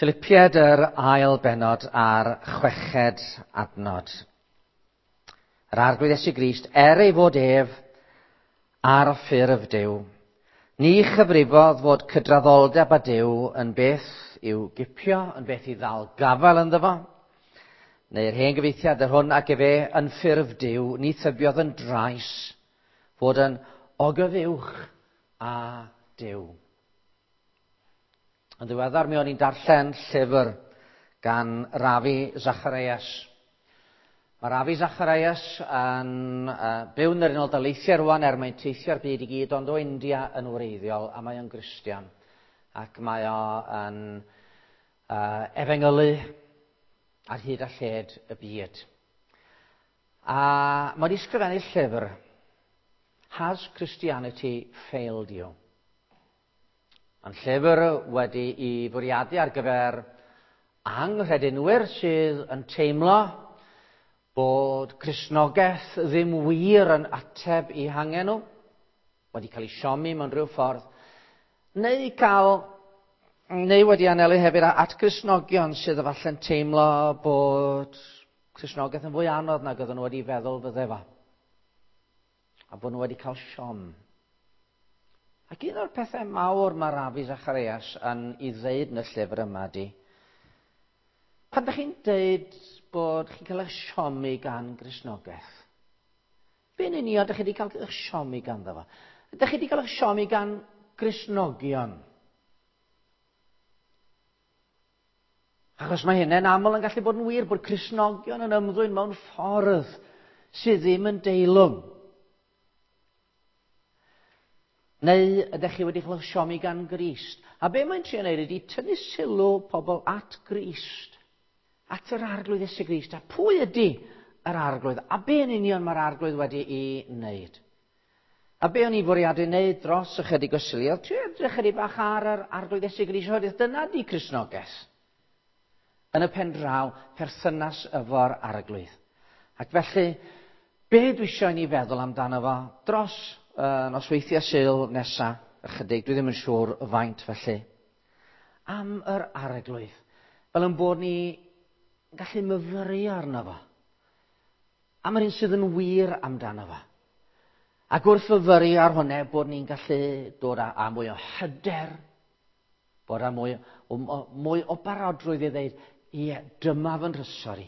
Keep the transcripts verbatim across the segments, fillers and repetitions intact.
Philipiaid yr ail bennod a'r chweched adnod. Yr Arglwydd Iesu Grist, er ei fod ef ar ffurf Duw, ni chyfrifodd fod cydraddoldeb â Duw yn beth i'w gipio, yn beth i ddal gafael ynddo fo, neu'r hen gyfieithiad yr hwn ac efe yn ffurf Duw, ni thybiodd yn drais fod yn ogyfuwch â Duw. Yn ddiweddar mi o'n i'n darllen llyfr gan Ravi Zacharias. Mae Ravi Zacharias yn uh, byw yn yr Unol Daleithiau rwan er mae'n teithio'r byd i gyd, ond o India yn wreiddiol, a mae o'n Gristion. Ac mae o yn uh, efengylu ar hyd a lled y byd. A mae wedi sgrifennu llyfr, Has Christianity Failed You? Yn llyfr wedi i fwriadu ar gyfer anghredinwyr sydd yn teimlo bod Cristnogaeth ddim wir yn ateb i hangen nhw, wedi cael ei siomi mewn rhyw ffordd, neu cael, neu wedi anelu hefyd at Gristnogion sydd efallai'n teimlo bod Cristnogaeth yn fwy anodd nag oedden nhw wedi feddwl fydde fo, a bod nhw wedi cael siom. Ac un o'r pethau mawr mae Ravi Zacharias yn ei ddeud yn y llyfr yma di, pan ydych chi'n deud bod chi'n cael eich siomi gan Gristnogaeth, be'n union ydych chi wedi cael eich siomi ganddo fo? Ydych chi wedi cael eich siomi gan Gristnogion? Achos mae hynny'n aml yn gallu bod yn wir bod Cristnogion yn ymddwyn mewn ffordd sydd ddim yn deilwng. Neu ydych chi wedi cael eich siomi gan Grist? A be mae'n trio wneud ydy tynnu sylw pobl at Grist, at yr Arglwydd Iesu Grist. A pwy ydy yr Arglwydd? A be yn union mae'r Arglwydd wedi ei wneud? A be o'n i fwriadu wneud dros ychydig o Suliau? Trio edrych chydig bach ar yr Arglwydd Iesu Grist, oherwydd dyna di Cristnogaeth. Yn y pen draw, perthynas efo'r Arglwydd. Ac felly, be dwi eisiau i ni feddwl amdano fo dros uh, nosweithiau Sul nesa, ychydig, dwi ddim yn siŵr faint felly, am yr Arglwydd, fel yn bod ni yn gallu myfyrio arno fo, am yr un sydd yn wir amdano fo. Ac wrth fyfyrio ar hwnna, bod ni'n gallu dod â, â mwy o hyder, bod â mwy o, mwy o barodrwydd i ddeud, ie, dyma fy nhrysor i,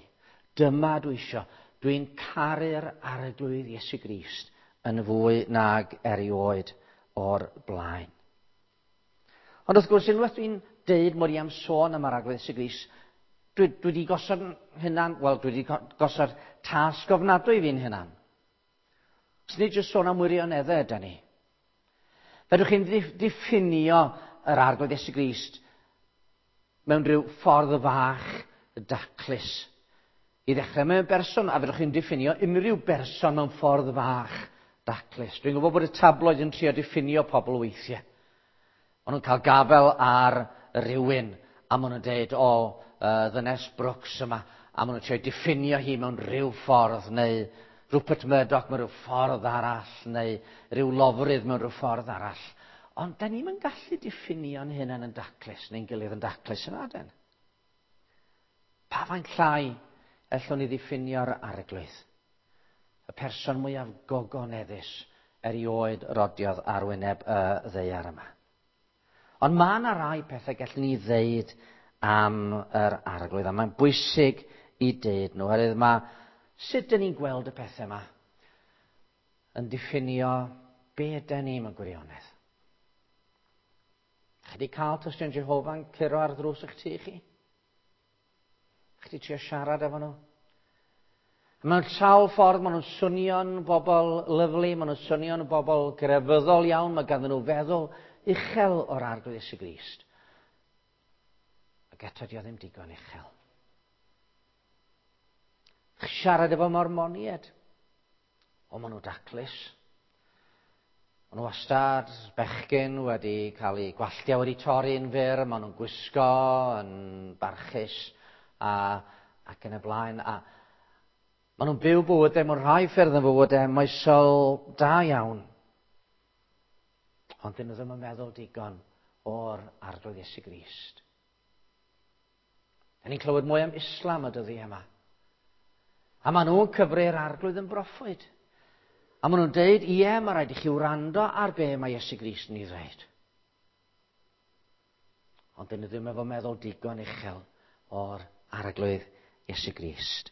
dyma dwi isio, dwi'n caru'r Arglwydd Iesu Grist yn fwy nag erioed o'r blaen. Ond wrth gwrs, unwaith dwi'n deud mod i am sôn am yr Arglwydd Iesu Grist, dwi, dwi wedi gosod hunan, wel, dwi wedi gosod tasg ofnadwy fi'n hunan. Os nid jyst sôn am wirioneddau yda ni. Fedrwch chi'n diffinio yr Arglwydd Iesu Grist mewn rhyw ffordd fach daclus. I ddechrau mewn berson, a fedrwch chi'n diffinio unrhyw berson mewn ffordd fach daclus. Dwi'n gwybod bod y tabloid yn trio diffinio pobl weithiau. Maen nhw'n cael gafel ar rywun, a maen nhw'n deud, o, uh, ddynes Brooks yma, a maen nhw'n trio diffinio hi mewn rhyw ffordd, neu Rupert Murdoch mewn rhyw ffordd arall, neu rhyw lofrydd mewn rhyw ffordd arall. Ond da ni'm yn gallu diffinio'n hunain yn daclus, neu'n gilydd yn daclus yna, den. Pa faint llai ellwn ni ddiffinio'r Arglwydd? Y person mwyaf gogoneddus erioed rodiodd ar wyneb y ddaear yma. Ond mae yna rai pethau gallwn ni ddeud am yr Arglwydd, a mae'n bwysig i deud nhw, oherwydd mae sut dyn ni'n gweld y pethau yma yn diffinio be ydyn ni mewn gwirionedd. Chi wedi cael tystion Jehofa'n curo ar ddrws eich tŷ chi? Chi wedi trio siarad efo nhw? Mewn sawl ffordd, maen nhw'n swnio'n bobl lyfli, maen nhw'n swnio'n bobl grefyddol iawn, mae ganddyn nhw feddwl uchel o'r Arglwydd Iesu Grist. Ac eto di o ddim digon uchel. Chi siarad efo Mormoniaid. O, maen nhw daclus. Maen nhw wastad bechgyn wedi cael eu gwalltiau wedi torri'n fyr, maen nhw'n gwisgo yn barchus a, ac yn y blaen. A maen nhw'n byw bywydau mewn rhai ffyrdd yn fywydau moesol da iawn. Ond dyn nhw ddim yn meddwl digon o'r Arglwydd Iesu Grist. Da ni'n clywed mwy am Islam y dyddiau yma. A maen nhw'n cyfri'r Arglwydd yn broffwyd. A maen nhw'n deud, ie, mae rhaid i chi wrando ar be mae Iesu Grist yn ei ddweud. Ond dyn nhw ddim efo meddwl digon uchel o'r Arglwydd Iesu Grist.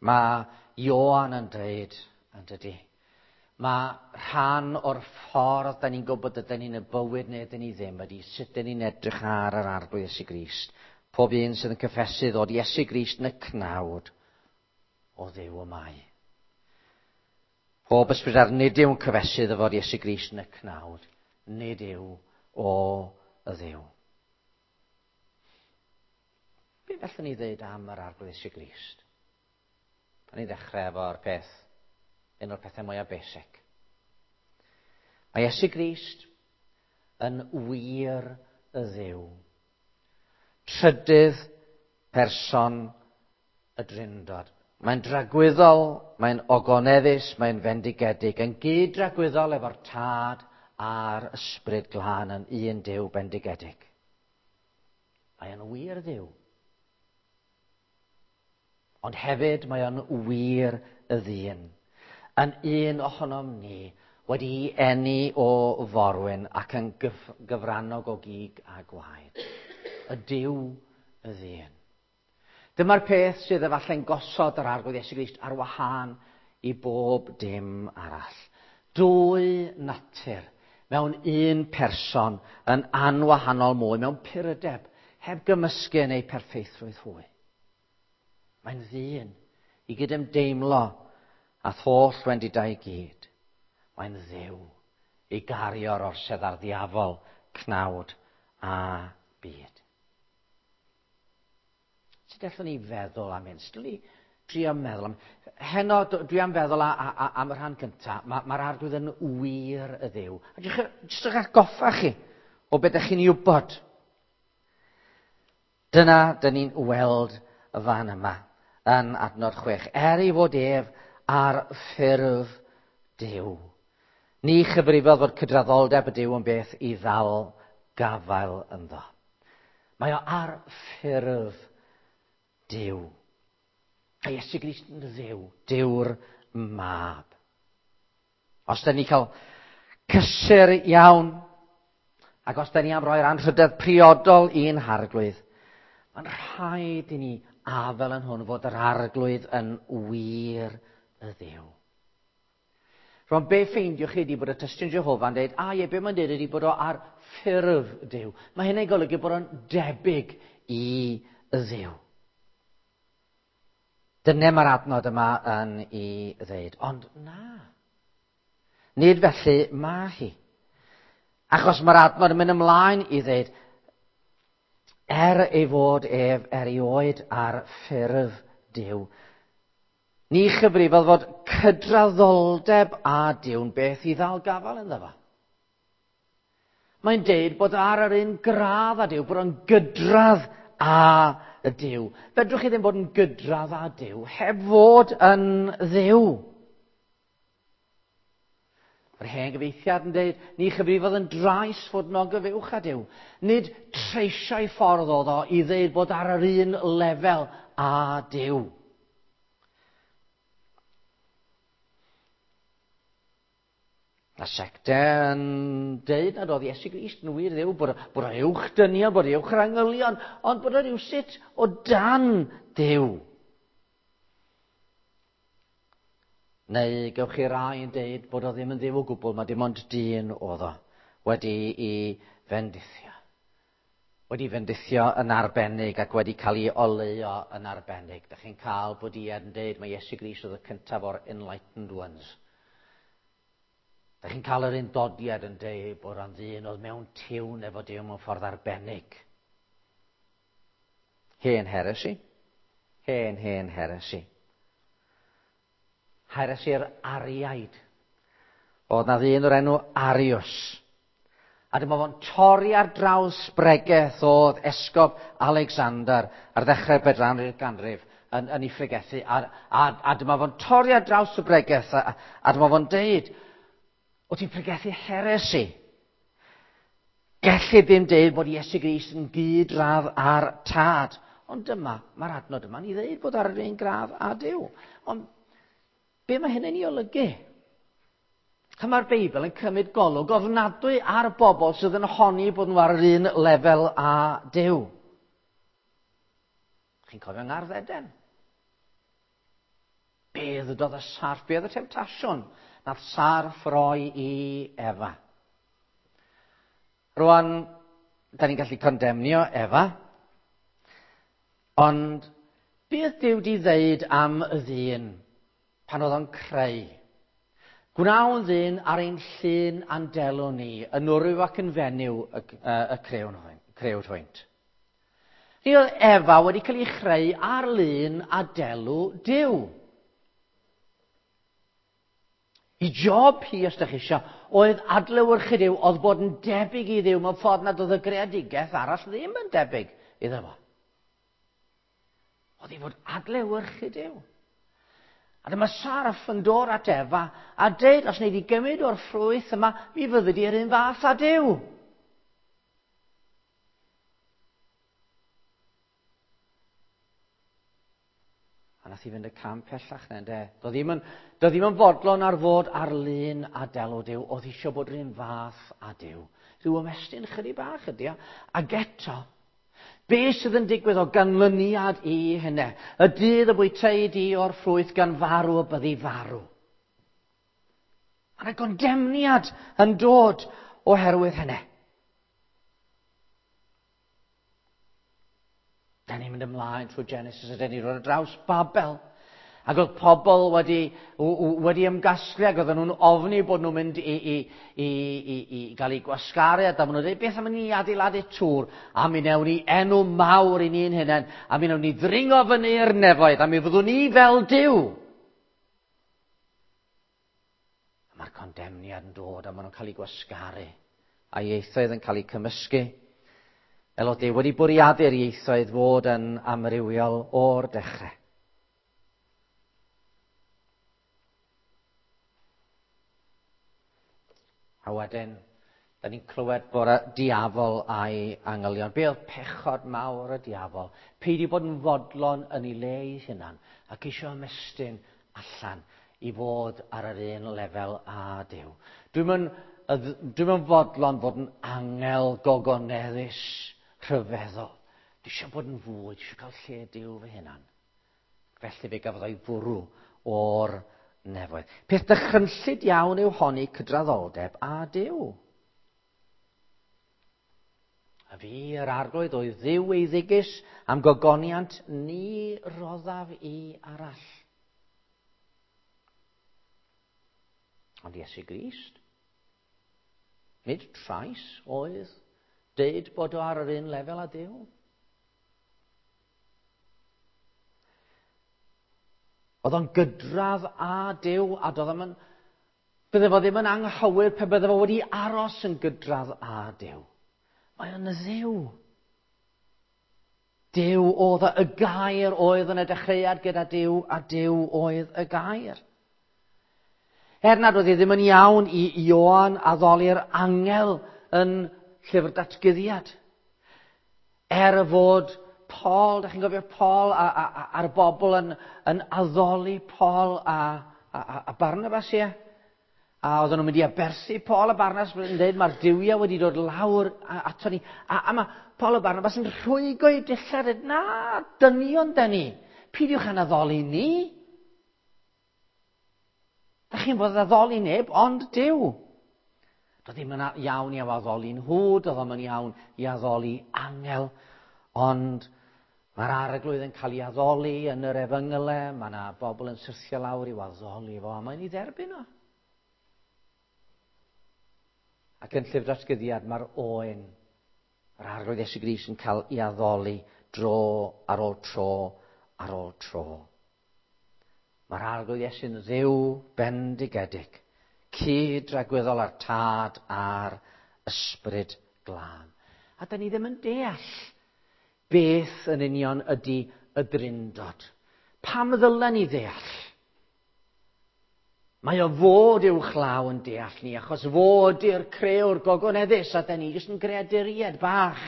Mae Ioan yn dweud, yn dydy, mae rhan o'r ffordd da ni'n gwybod ydyn ni'n y bywyd neu ydyn ni ddim ydy sut dyn ni'n edrych ar yr Arglwydd Iesu Grist. Pob un sydd yn cyffesu ddod Iesu Grist yn y cnawd o Dduw y mae. Pob ysbryd ar nid yw'n cyffesu ddod Iesu Grist yn y cnawd, nid yw o y Dduw. Be fellwn ni ddweud am yr Arglwydd Iesu Grist? A ni ddechrau efo'r peth, un o'r pethau mwyaf basic. Mae Iesu Grist yn wir y Dduw. Trydydd person y Drindod. Mae'n dragwyddol, mae'n ogoneddus, mae'n fendigedig, yn gyd-dragwyddol efo'r Tad a'r Ysbryd Glân yn un Duw bendigedig. Mae o'n wir Dduw. Ond hefyd mae o'n wir y ddyn. Yn un ohonom ni wedi'i eni o forwyn ac yn gyf- gyfrannog o gig a gwaed. Y Duw y ddyn. Dyma'r peth sydd efallai'n gosod yr Arglwydd Iesu Grist ar wahân i bob dim arall. Dwy natur mewn un person yn anwahanol mwy, mewn purdeb, heb gymysgu yn ei perffeithrwydd hwy. Mae'n ddyn i gydymdeimlo a holl wendidau i gyd. Mae'n Dduw i gario'r orsedd ar ddiafol, cnawd a byd. Sut allwn ni feddwl am hyn? Sut allwn ni drio meddwl am... Heno, dwi am feddwl a, a, a, am y rhan gyntaf. Mae'r ma Arglwydd yn wir y Dduw. A jyst eich atgoffa chi o beth ydych chi'n ei wybod. Dyna, dyn ni'n weld y fan yma yn adnod chwech. Er ei fod ef ar ffurf Duw. Ni chyfrifodd fod cydraddoldeb y Duw yn beth i ddal gafael ynddo. Mae o ar ffurf Duw. A Iesu Grist yn Dduw, Duw'r Mab. Os da ni cael cysur iawn, ac os da ni am roi'r anrhydedd priodol i'n Harglwydd, mae'n rhaid i ni afel yn hwn fod yr Arglwydd yn wir y Dduw. Rwan, be ffeindiwch chi ydi bod y Tystion Jehofa'n dweud, a ie, be mae'n dweud ydi bod o ar ffurf Duw. Mae hynny'n golygu bod o'n debyg i y Dduw. Dyna mae'r adnod yma yn ei ddeud. Ond na. Nid felly mae hi. Achos mae'r adnod yn mynd ymlaen i ddeud, er ei fod ef erioed ar ffurf Duw, ni chyfrifodd fod cydraddoldeb a Duw'n beth i ddal gafael ynddo fo. Mae'n deud bod ar yr un gradd â Duw, bod o'n gydradd â y Duw. Fedrwch chi ddim bod yn gydradd â Duw heb fod yn Dduw. Yr hen gyfeithiad yn dweud, ni chyfrifodd yn drais fod yn ogyfuwch â Duw. Nid treisiau ffordd oedd o i ddeud bod ar yr un lefel â Duw. A secte yn deud nad oedd Iesu Grist yn wir Dduw, bod, bod o'n uwch dynion, bod o'n uwch yr angylion, ond bod o'n rhywsut o dan Duw. Neu gewch chi rai yn deud bod o ddim yn Dduw o gwbl, mae dim ond dyn oedd o wedi i fendithio. Wedi fendithio yn arbennig ac wedi cael ei oleuo yn arbennig. Dach chi'n cael bod i yn deud mae Iesu Grist oedd y cyntaf o'r enlightened ones. Dach chi'n cael yr undodiad yn deud bod o'n ddyn oedd mewn tiwn efo Duw mewn ffordd arbennig. Hen heresi. Hen, hen heresi. Heresi'r Ariaid. Oedd na ddyn o'r enw Arius. A dyma fo'n torri ar draws bregeth oedd Esgob Alexander ar ddechrau'r bedwaredd ganrif yn, yn ei phregethu. A, a, a dyma fo'n torri ar draws y bregeth a, a dyma fo'n deud, o ti'n pregethu heresi. Gellid ddim deud bod Iesu Grist yn gydradd â'r Tad. Ond dyma, mae'r adnod yma'n ei ddeud bod ar yr un gradd â Duw. Ond be mae hynny'n ei olygu? A mae'r Beibl yn cymryd golwg ofnadwy ar bobl sydd yn honni bod nhw ar yr un lefel â Duw. Chi'n cofio Ngardd Eden? Be ddydodd y sarff? Be oedd y temtasiwn nath sarff roi i Efa? Rwan, da ni'n gallu condemnio Efa, ond beth Duw di ddeud am y ddyn pan oedd o'n creu? Gwnawn ddyn ar ein llun a'n delw ni, yn wryw ac yn fenyw y, y, y crewd hwynt. Ni oedd Efa wedi cael ei chreu ar lun a delw Duw. I job hi, os ydych chi eisiau, oedd adlewyrchu Duw, oedd bod yn debyg i Dduw mewn ffordd nad oedd y greadigaeth arall ddim yn debyg iddo fo. Oedd hi fod adlewyrchu Duw. A dyma sarff yn dod at Efa a deud, os wnei di gymryd o'r ffrwyth yma, mi fyddi di'r un fath â Duw. A nath i fynd y cam pellach na, ynde? Doedd ddim yn, doedd ddim yn fodlon ar fod ar lun a delw Duw, oedd eisiau bod yr un fath â Duw. Rhyw ymestyn chydig bach ydi o. Ac eto, be sydd yn digwydd o ganlyniad i hynny? Y dydd y bwytei di o'r ffrwyth gan farw y byddi farw. Mae yna gondemniad yn dod oherwydd hynny. Da ni'n mynd ymlaen trwy Genesis a da ni'n rhoi ar draws Babel. Ac oedd pobl wedi, wedi ymgasglu ac oedden nhw'n ofni bod nhw'n mynd i, i, i, i, i gael eu gwasgaru. A da maen nhw'n dweud, beth am ni adeiladu tŵr? A mi newn ni enw mawr i ni'n hunain. A mi newn ni ddringo fyny i'r nefoedd. A mi fyddwn ni fel Duw. A mae'r condemniad yn dod a maen nhw'n cael eu gwasgaru. A ieithoedd yn cael eu cymysgu. Fel oedd Duw wedi bwriadu'r ieithoedd fod yn amrywiol o'r dechrau. A wedyn, da ni'n clywed bod y diafol a'i angylion. Be oedd pechod mawr y diafol? Peidio bod yn fodlon yn ei le ei hunan ac eisiau ymestyn allan i fod ar yr un lefel â Duw. Dwi'm yn, dwi'm yn fodlon fod yn angel gogoneddus rhyfeddol. Dwi eisiau bod yn fwy, dwi eisiau cael lle Duw fy hunan. Felly fe gafodd o'i fwrw o'r nefoedd. Peth dychrynllyd iawn yw honni cydraddoldeb â Duw. A fi, yr Arglwydd, oedd Dduw eiddigus am gogoniant ni roddaf i arall. Ond Iesu Grist, nid trais oedd deud bod o ar yr un lefel â Duw. Oedd o'n gydradd â Duw, a doedd o'n, bydde fo ddim yn anghywir pe bydde fo wedi aros yn gydradd â Duw. Mae o'n Dduw. Duw oedd y gair oedd yn y dechreuad gyda Duw, a Duw oedd y gair. Er nad oedd hi ddim yn iawn i Ioan addoli'r angel yn llyfr datguddiad. Er y fod Paul, da chi'n gofio Paul a, a, a, a'r bobl yn, yn addoli Paul a, a, a Barnabas, ie? A oedden nhw'n mynd i aberthu Paul a Barnabas yn dweud mae'r duwiau wedi dod lawr ato ni. A, a mae Paul a Barnabas yn rhwygo eu dillad, dweud, na, dynion da ni. Peidiwch â'n addoli ni. Da chi'n bod addoli neb, ond Duw. Doedd ddim yn iawn i addoli nhw, doedd ddim yn iawn i addoli angel, ond mae'r Arglwydd yn cael ei addoli yn yr efengylau, mae yna bobl yn syrthio lawr i'w addoli fo, a mae'n ei dderbyn o. Ac yn llyfr datguddiad mae'r oen, yr Arglwydd Iesu Grist yn cael ei addoli dro ar ôl tro ar ôl tro. Mae'r Arglwydd Iesu'n Dduw bendigedig, cyd-dragwyddol â'r Tad a'r Ysbryd Glân. A da ni ddim yn deall beth yn union ydy y Drindod. Pam ddylen ni ddeall? Mae o fod uwchlaw yn deall ni, achos fod i'r crewr gogoneddus, a da ni jyst yn greaduriaid bach.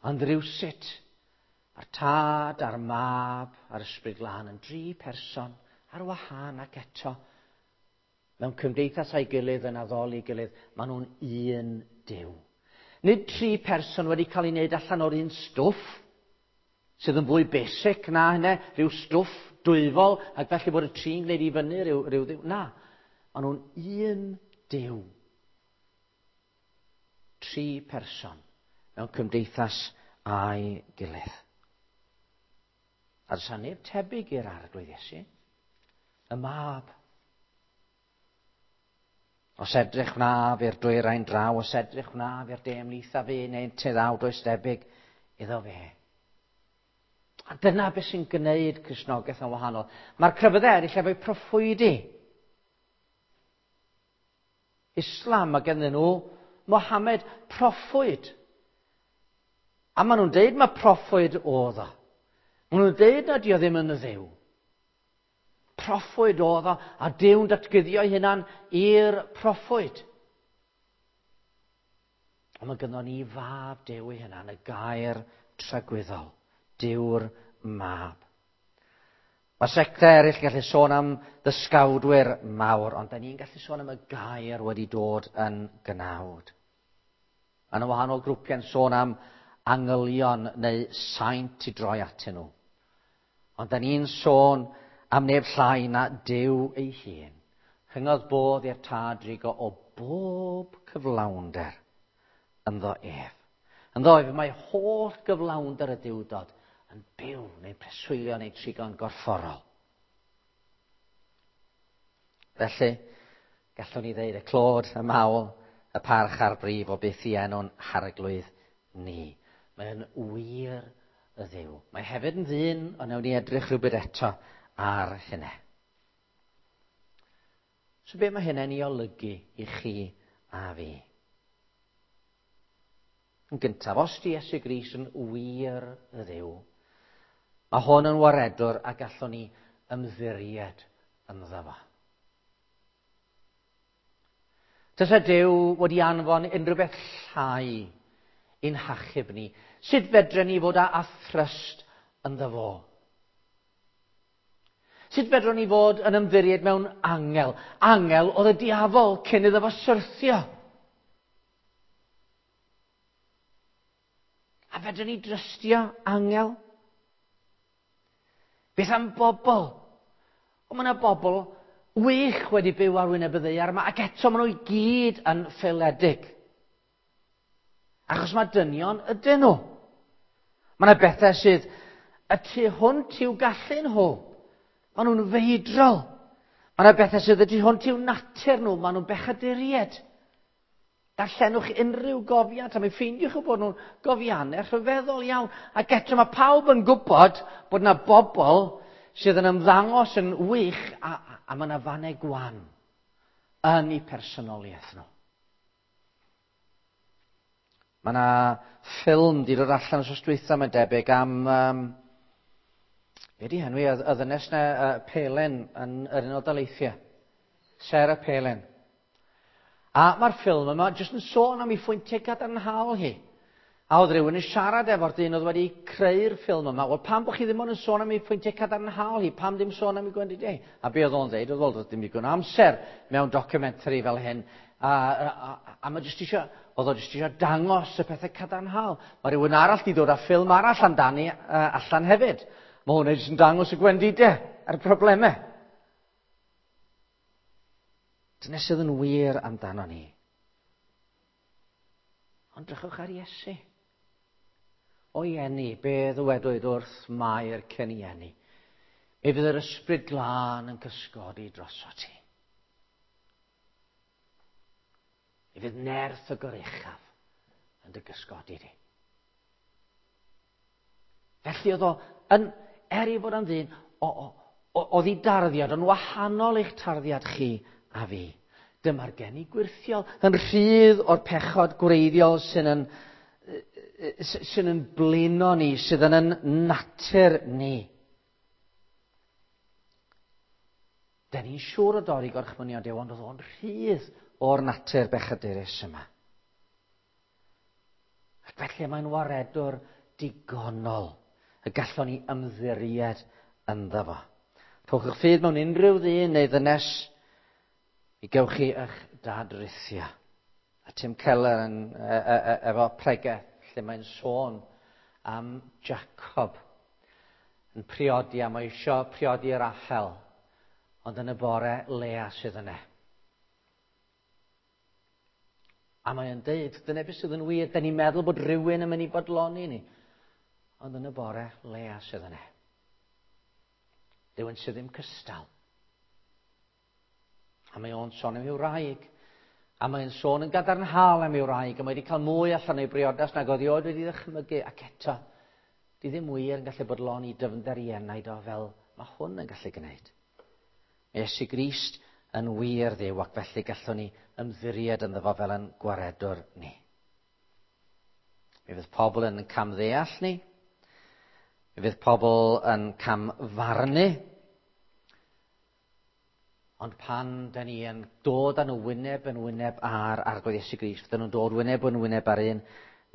Ond rywsut, a'r Tad, a'r Mab, a'r Ysbryd Glân yn dri person ar wahân ac eto, mewn cymdeithas a'i gilydd yn addoli gilydd, maen nhw'n un Duw. Nid tri person wedi cael ei wneud allan o'r un stwff, sydd yn fwy basic na hynny, rhyw stwff dwyfol, ac felly bod y tri'n gwneud i fyny rhyw, rhyw ddiw. Na, maen nhw'n un Duw. Tri person mewn cymdeithas a'i gilydd. A does neb tebyg i'r Arglwydd Iesu, y Mab. Os edrych wnaf i'r dwyrain draw, os edrych wnaf i'r de ymhlith a fi, neu te ddaw, does debyg iddo fe. A dyna beth sy'n gwneud Cristnogaeth yn wahanol. Mae'r crefyddau eraill efo'u proffwydi. Islam, mae gennym nhw Mohammed proffwyd. A maen nhw'n deud mae proffwyd oedd o. Maen nhw'n deud na di o ddim yn dduw. Proffwyd oedd o, a Duw'n datguddio ei hunan i'r proffwyd. Ond mae gynnon ni Fab Duw ei hunan, y gair tragwyddol, Duw'r Mab. Mae sectau eraill gallu sôn am ddysgawdwyr mawr, ond da ni'n gallu sôn am y gair wedi dod yn gnawd. Yn y wahanol grwpiau'n sôn am angylion neu saint i droi atyn nhw. Ond da ni'n sôn am neb llai na Duw ei hun. Rhyngodd bodd i'r Tad drigo o bob cyflawnder ynddo ef. Ynddo ef mae holl gyflawnder y Duwdod yn byw neu'n preswylio neu trigo'n gorfforol. Felly, gallwn ni ddeud y clod, y mawl, y parch a'r brif o beth i enw'n harglwydd ni. Mae'n wir y Dduw. Mae hefyd yn ddyn, ond newn ni edrych rhywbeth eto ar hynny. So be mae hynny'n ei olygu i chi a fi? Yn gyntaf, os di Iesu Grist yn wir y Dduw, mae hwn yn waredwr a gallwn ni ymddiried ynddo fo. Tasa Duw wedi anfon unrhyw beth llai i'n hachub ni, sut fedren ni fod â thrust ynddo fo? Sut fedrwn ni fod yn ymddiried mewn angel? Angel oedd y diafol cyn iddo fo syrthio. A fedrwn ni drystio angel? Beth am bobl? O, mae yna bobl wych wedi byw ar wyneb y ddaear yma, ac eto maen nhw i gyd yn ffaeledig. Achos mae dynion ydyn nhw. Mae yna bethau sydd y tu hwnt i'w gallu nhw. Maen nhw'n feidrol. Mae yna bethau sydd y tu hwnt i'w natur nhw. Maen nhw'n bechaduriaid. Darllenwch unrhyw gofiant, a mi ffeindiwch eu bod nhw'n gofiannau rhyfeddol iawn. Ac eto mae pawb yn gwybod bod yna bobl sydd yn ymddangos yn wych, a, a, a mae yna fannau gwan yn eu personoliaeth nhw. Mae yna ffilm di dod allan wsos dwytha, mae'n debyg, am... Um, be di henwi, y ddynes na uh, Palin yn yr Unol Daleithiau. Sarah Palin. A mae'r ffilm yma jyst yn sôn am ei phwyntiau gadarnhaol hi. A oedd rhywun yn siarad efo'r dyn oedd wedi creu'r ffilm yma. Wel, pam bod chi ddim ond yn sôn am ei phwyntiau cadarnhaol hi? Pam ddim sôn am ei gwendidau? A be oedd o'n dweud? Oedd, wel, ddim digon o amser mewn documentary fel hyn. A, a, a, a mae jyst eisiau, oedd o jyst eisiau dangos y pethau cadarnhaol. Mae rhywun arall di dod â ffilm arall amdani uh, allan hefyd. Mae hwnna jyst yn dangos y gwendidau a'r problemau. Dyna sydd yn wir amdano ni. Ond drychwch ar Iesu. O'i eni, be ddywedwyd wrth Mair cyn ei eni? Mi fydd yr Ysbryd Glân yn cysgodi droso ti. Mi fydd nerth y Goruchaf yn dy gysgodi di. Felly oedd o, yn, er ei fod yn ddyn, oedd ei darddiad yn wahanol i'ch tarddiad chi a fi. Dyma'r geni gwyrthiol, yn rhydd o'r pechod gwreiddiol sy'n yn, sy'n yn blino ni, sydd yn yn natur ni. Da ni'n siŵr o dorri gorchmynion Duw, ond oedd o'n rhydd o'r natur bechadurus yma. Ac felly mae'n waredwr digonol y gallwn ni ymddiried ynddo fo. Rhowch eich ffydd mewn unrhyw ddyn neu ddynes i gewch chi eich dadrithio. A Tim Keller yn, e, e, e, efo pregeth lle mae'n sôn am Jacob yn priodi, a mae eisiau priodi Rachel, ond yn y bore Lea sydd yna. A mae'n deud, dyna beth sydd yn wir, da ni'n meddwl bod rhywun yn mynd i bodloni ni, ond yn y bore Lea sydd yna. Rhywun sydd ddim cystal. A mae o'n sôn am i'w wraig. A mae'n sôn yn gadarnhaol am i'w wraig, a mae wedi cael mwy allan o'i briodas nag oedd erioed wedi ddychmygu, ac eto, di ddim wir yn gallu bodloni dyfnder ei enaid o fel mae hwn yn gallu gwneud. Mae Iesu Grist yn wir Dduw, ac felly gallwn ni ymddiried ynddo fo fel yn gwaredwr ni. Mi fydd pobl yn camddeall ni, mi fydd pobl yn camfarnu, ond pan da ni yn dod â nhw wyneb yn wyneb ar Arglwydd Iesu Grist, fydden nhw'n dod wyneb yn wyneb ar un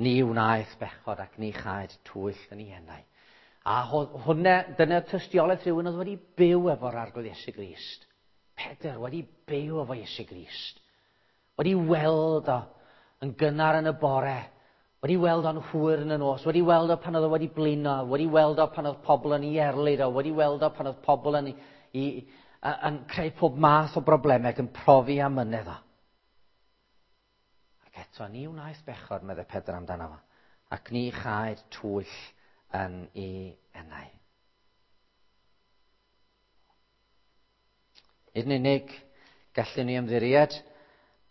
ni wnaeth bechod ac ni chaed twyll yn ei enau. A hwnna, dyna tystiolaeth rhywun oedd wedi byw efo'r Arglwydd Iesu Grist. Pedr wedi byw efo Iesu Grist. Wedi weld o yn gynnar yn y bore, wedi weld o'n hwyr yn y nos, wedi weld o pan oedd o wedi blino, wedi weld o pan oedd pobl yn ei erlid o, wedi weld o pan oedd pobl yn, i, yn creu pob math o broblemau ac yn profi amynedd o. Ac eto, ni wnaeth bechod, meddai Pedr amdano fo, ac ni chaed twyll yn ei enau. Nid yn unig gallwn ni ymddiried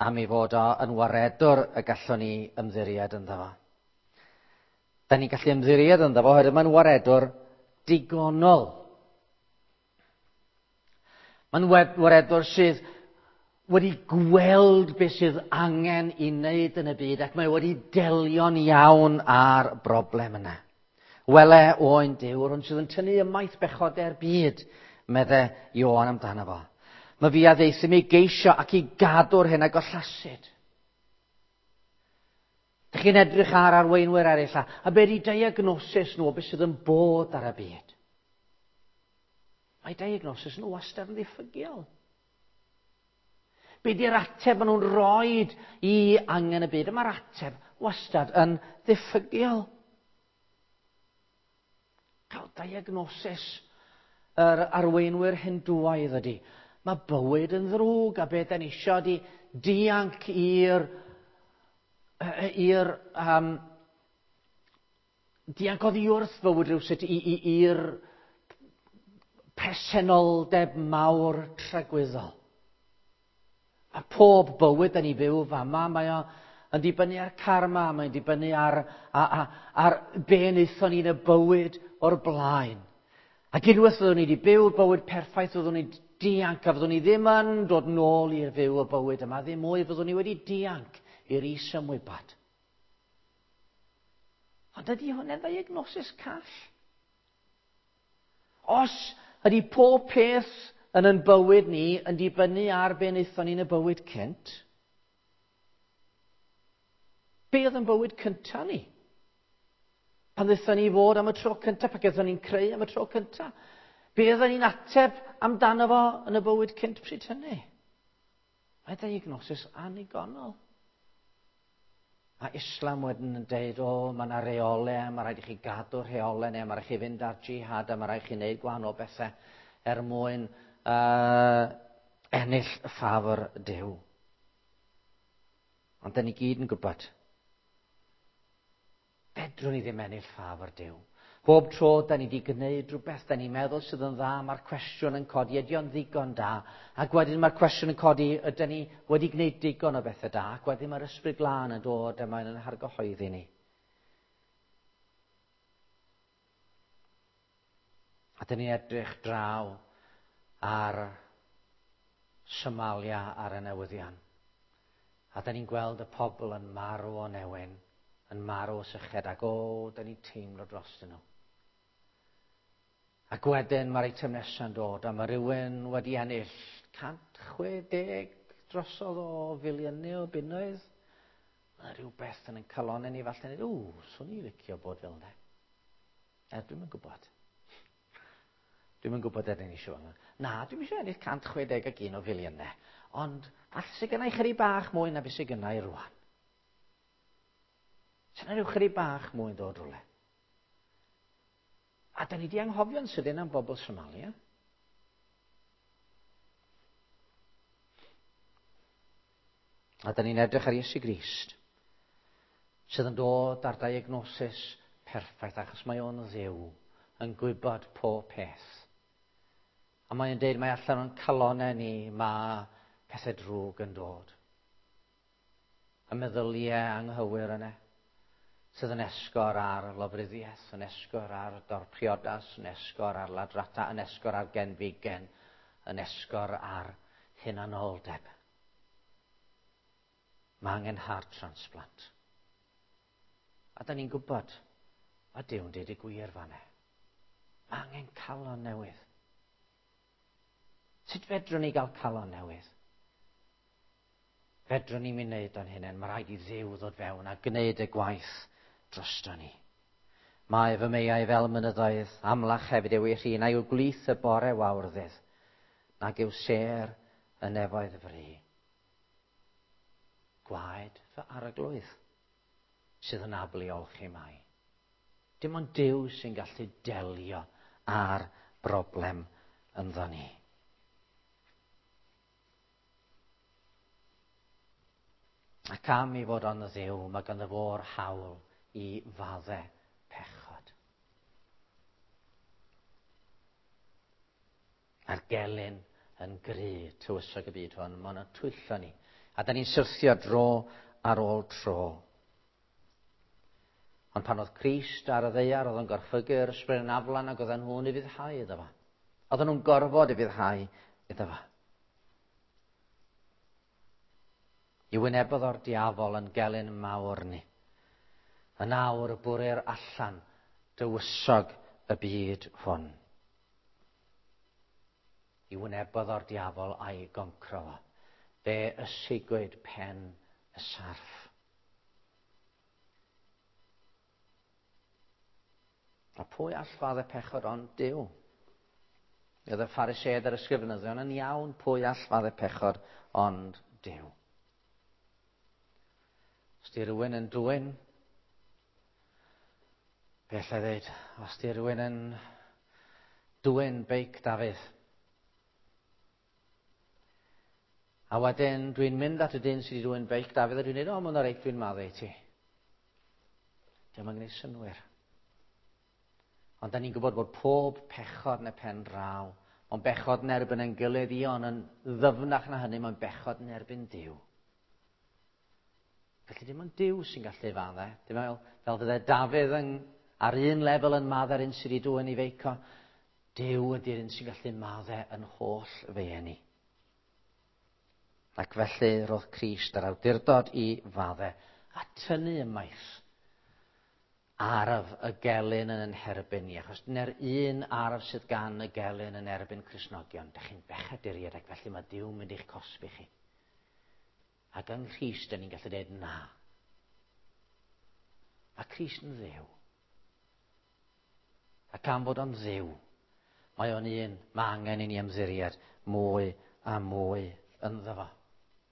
am ei fod o yn waredwr y gallwn ni ymddiried ynddo fo. Da ni'n gallu ymddiried ynddo fo oherwydd mae'n waredwr digonol. Mae'n waredwr sydd wedi gweld beth sydd angen i wneud yn y byd ac mae wedi delio'n iawn â'r broblem yna. Wele oen Duw, yr hwn sydd yn tynnu ymaith bechodau'r byd, medde Ioan amdano fo. Mae fi a ddaethum i geisio ac i gadw'r hyn a gollasid. Dych chi'n edrych ar arweinwyr eraill a, a be di diagnosis nhw o beth sydd yn bod ar y byd? Mae diagnosis nhw wastad yn ddiffygiol. Be di'r ateb maen nhw'n roid i angen y byd? Mae'r ateb wastad yn ddiffygiol. Cael diagnosis yr arweinwyr Hindŵaidd ydy. Mae bywyd yn ddrwg a beth da ni isio ydy dianc i'r i'r um, dianc oddi wrth fywyd rhywsut i'r presenoldeb mawr tragwyddol. A pob bywyd da ni fyw fama, mae o yn dibynnu ar karma, mae'n dibynnu ar, ar, ar, ar be wnaethon ni yn y bywyd o'r blaen. Ac unwaith fyddwn ni wedi byw'r bywyd perffaith, fyddwn ni dianc, a fyddwn ni ddim yn dod nôl i'r fyw y bywyd yma, ddim mwy, fyddwn ni wedi dianc i'r is-ymwybod. Ond ydy hwnna'n ddiagnosis call? Os ydy pob peth yn yn bywyd ni yn dibynnu ar be wnaethon ni yn y bywyd cynt, be oedd yn bywyd cyntaf ni? Pan ddaethon ni fod am y tro cyntaf, pan gaethon ni'n creu am y tro cyntaf, be oedden ni'n ateb amdano fo yn y bywyd cynt pryd hynny? Mae diagnosis annigonol. A Islam wedyn yn deud, o, mae yna reolau, mae rhaid i chi gadw'r rheolau neu mae rhaid i chi fynd ar jihad a mae rhaid i chi wneud gwahanol bethau er mwyn uh, ennill ffafr Duw. Ond da ni gyd yn gwybod, fedrwn ni ddim ennill ffafr Duw. Bob tro da ni wedi gwneud rhywbeth da ni'n meddwl sydd yn dda, mae'r cwestiwn yn codi, ydy o'n ddigon da? Ac wedyn mae'r cwestiwn yn codi, ydyn ni wedi gwneud digon o bethau da? Ac wedyn mae'r Ysbryd Glân yn dod a mae'n hargyhoeddi ni. A dyn ni'n edrych draw ar Somalia ar y newyddion. A dyn ni'n gweld y pobl yn marw o newyn, yn marw o syched, ac o, dyn ni'n teimlo dros nhw. Ac wedyn mae'r eitem nesaf yn dod, a mae rhywun wedi ennill cant chwe deg drosodd o filiynau o bunnoedd. Mae rhywbeth yn ein calonnau ni falle, ww, swn i licio bod fel yna. Er, dwi'm yn gwybod. Dwi'm yn gwybod er ni eisiau yna. Na, dwi'm eisiau ennill cant chwe deg ac un o filiynau. Ond falle sydd gennau chydig bach mwy na beth sydd gennau rwan. Sy'n rhyw chydig bach mwy yn dod rhywle. A da ni di anghofio'n sydyn am bobl Somalia. A da ni'n edrych ar Iesu Grist, sydd yn dod ar diagnosis perffaith, achos mae o'n Dduw yn gwybod pob peth. A mae'n deud mae allan o'n calonnau ni, mae pethau drwg yn dod. Y meddyliau anghywir yna, sydd yn esgor ar lofruddiaeth, yn esgor ar dorpriodas, yn esgor ar ladrata, yn esgor ar genfigen, yn esgor ar hunanoldeb. Mae angen heart transplant. A da ni'n gwybod, a Duw'n deud y gwir fan'na. Mae angen calon newydd. Sut fedrwn ni gael calon newydd? Fedrwn ni'n mynd wneud o'n hunain. Mae rhaid i Dduw ddod fewn a gwneud y gwaith drosto ni. Mae fy meiau fel mynyddoedd, amlach hefyd yw ei rhin, a yw gwlith y bore wawrddydd, nag yw sêr y nefoedd fri. Gwaed fy arglwydd sydd yn abl i olchi mai. Dim ond Duw sy'n gallu delio â'r broblem ynddo ni. Ac am i fod o'n Dduw, mae ganddo fo'r hawl i faddau pechod. A'r gelyn yn gry tywysog y byd hwn, mae'n twyllo ni. A da ni'n syrthio dro ar ôl tro. Ond pan oedd Crist ar y ddaear, oedd o'n gorchfygu'r ysbryd yn aflan ac oedden nhw'n ufuddhau iddo fo. Oedden nhw'n gorfod ufuddhau iddo fo. I wynebodd o'r diafol yn gelyn mawr ni. Yn awr bwrir allan dywysog y byd hwn. I wynebodd o'r diafol a'i goncro fo. Fe ysigwyd pen y sarff. A pwy all faddau pechod ond Duw? Oedd y Phariseaid a'r ysgrifenyddion yn iawn, pwy all faddau pechod ond Duw? Os di rhywun yn dwyn, be allai ddeud? Os di rhywun yn dwyn beic Dafydd, a wedyn dwi'n mynd at y dyn sydd wedi dwyn beic Dafydd a dwi'n dweud, o, mae'n reit, dwi'n maddau i ti. Dio'm yn gwneud synnwyr. Ond da ni'n gwybod bod pob pechod yn y pen draw, mae'n bechod yn erbyn ein gilydd i, ond yn ddyfnach na hynny, mae'n bechod yn erbyn Duw. Felly dim ond Duw sy'n gallu faddau. Dim fel, fel fydde Dafydd yn, ar un lefel yn maddau'r un sydd wedi dwyn i feico. Duw ydy'r un sy'n gallu maddau yn holl feiau ni. Ac felly roedd Crist yr awdurdod i faddau a tynnu ymaith arf y gelyn yn yn herbyn ni, achos dyna'r un arf sydd gan y gelyn yn erbyn Cristnogion. Dych chi'n bechaduriaid ac felly mae Duw mynd i'ch cosbi chi. Ac yng Nghrist, dyn ni'n gallu dweud na. Mae Crist yn Dduw. Ac am fod o'n Dduw, mae o'n un, mae angen i ni ymddiried mwy a mwy ynddo fo.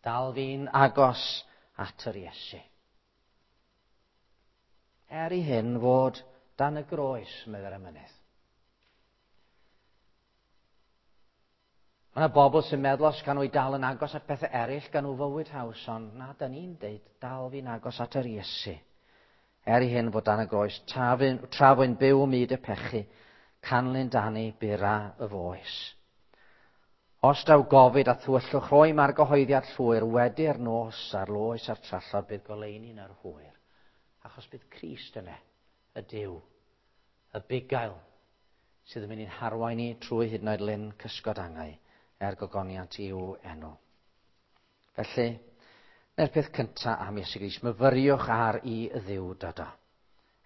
Dal fi'n agos at yr Iesu. Er i hyn fod dan y groes, meddai'r emynydd. Mae yna bobl sy'n meddwl os gan nhw i dal yn agos at pethau eraill gan nhw fywyd haws, ond na, da ni'n deud dal fi'n agos at yr Iesu. Er i hyn fod dan y groes, tra fwy'n byw myd y pechu, canlyn dani bura y foes. Os daw gofid a thywyllwch, rhoi mae'r gyhoeddiad llwyr wedi'r nos a'r loes a'r trallod bydd goleuni yn yr hwyr. Achos bydd Crist yna, y Duw, y bugail, sydd yn mynd i'n harwain ni trwy hyd yn oed lyn cysgod angau er gogoniant i'w enw. Felly, dyna'r peth cyntaf am Iesu Grist, myfyriwch ar i Dduw dod o,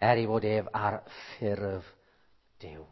er i fod ef ar ffurf Duw.